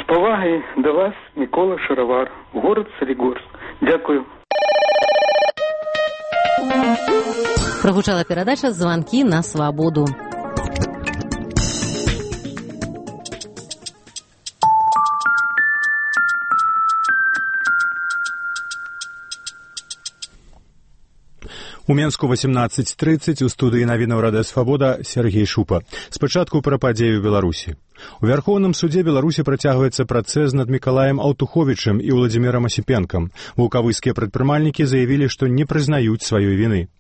павагай да вас, Мікола Шаравар, горад Салігорск. Дякую. Прогучала перадача «Звонки на свободу». У Менску 18:30 у студыі навінаў Радыё Свабода Сергей Шупа. Спачатку пра падзею ў Беларусі. У Вярхоўным судзе Беларусі працягваецца працэс над Мікалаем Аўтуховічам і Владзімірам Асіпенкам. Вулкавыскія прадпрымальнікі заявілі, што не прызнаюць сваёй віны.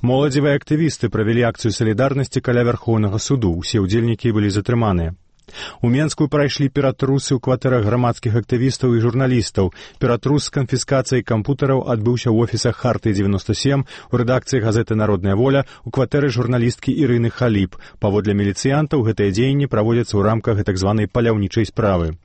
Моладзевыя актывісты правялі акцыю салідарнасці каля Вярхоўнага суду. Усе ўдзельнікі былі затрыманыя. У Менску прайшлі ператрусы ў кватэрах грамадскіх актывістаў і журналістаў. Ператрус з канфіскацыяй кампутараў адбыўся ў офісах Харты-97, у рэдакцыі газеты «Народная воля», у кватэры журналісткі Ірыны Халіп. Паводле міліцыянтаў, гэтыя дзеянні праводзяцца ў рамках так званай паляўнічай справы.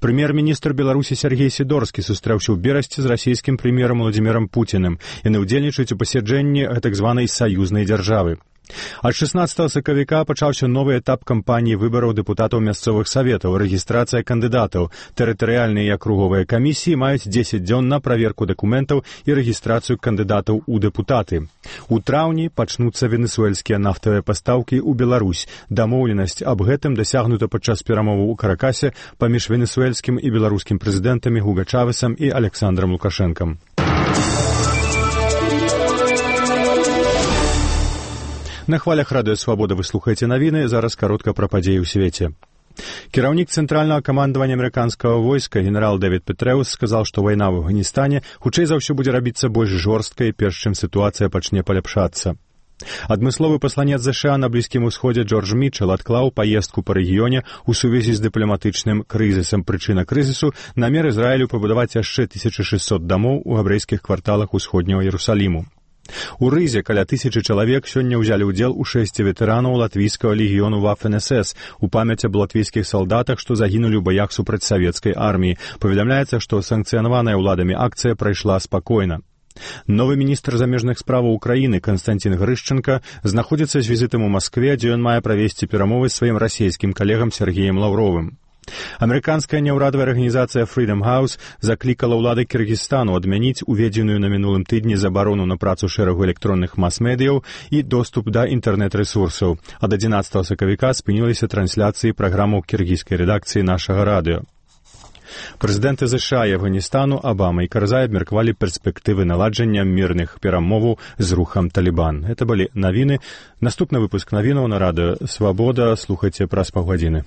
Прэм'ер-міністр Беларусі Сергей Сідорскі сустрэўся ў Берасці з расійскім прэм'ерам Владзімірам Пуціным. Яны ўдзельнічаюць у пасяджэнні так званай саюзнай дзяржавы. Ад 16 сакавіка пачаўся новы этап кампаніі выбараў дэпутатаў мясцовых саветаў, рэгістрацыя кандыдатаў. Тэрытарыяльныя і акруговыя камісіі маюць 10 дзён на праверку дакументаў і рэгістрацыю кандыдатаў у дэпутаты. У траўні пачнуцца венесуэльскія нафтавыя пастаўкі ў Беларусь. Дамоўленасць аб гэтым дасягнута падчас перамоваў у Каракасе паміж венесуэльскім і беларускім прэзідэнтамі Гуга Чавесам і Александрам Лукашэнкам. На хвалях Радыё Свабода вы слухаеце навіны, зараз каротка пра падзеі ў свеце. Кіраўнік цэнтральнага камандавання амерыканскага войска генерал Дэвід Петрэус сказаў, што вайна ў Афганістане хутчэй за ўсё будзе рабіцца больш жорсткай, перш чым сітуацыя пачне паляпшацца. Адмысловы пасланец ЗША на Блізкім Усходзе Джордж Мітчел адклаў паездку па рэгіёне ў сувязі з дыпламатычным крызісам. Прычына крызісу – намер Ізраілю пабудаваць яшчэ 1600 дамоў у габрэйскіх кварталах усходняга Іерусаліму. У Рызе каля 1000 чалавек сёння ўзялі ўдзел у шэсці ветэранаў латвійскага легіёну Waffen-СС у памяць аб латвійскіх салдатах, што загінулі ў баях супраць савецкай арміі. Паведамляецца, што санкцыянаваная ўладамі акцыя прайшла спакойна. Новы міністр замежных справаў Украіны Канстантин Грышченка знаходзіцца з візітам у Маскве, дзе ён мае правесці перамовы з сваім расійскім калегам Сергеем Лаўровым. Амерыканская няўрадавая арганізацыя Freedom House заклікала ўлады Кыргызстану адмяніць уведзеную на мінулым тыдні забарону на працу шэрагу электронных мас-медыяў і доступ да інтэрнэт-рэсурсаў. Ад 11 сакавіка спыніліся трансляцыі праграмаў кіргізскай рэдакцыі нашага радыё. Прэзідэнты ЗША і Афганістану Абама і Карзай абмеркавалі перспектывы наладжання мірных перамоваў з рухам Талібан. Гэта былі навіны. Наступны выпуск навінаў на Радыё Свабода слухайце праз паўгадзіны.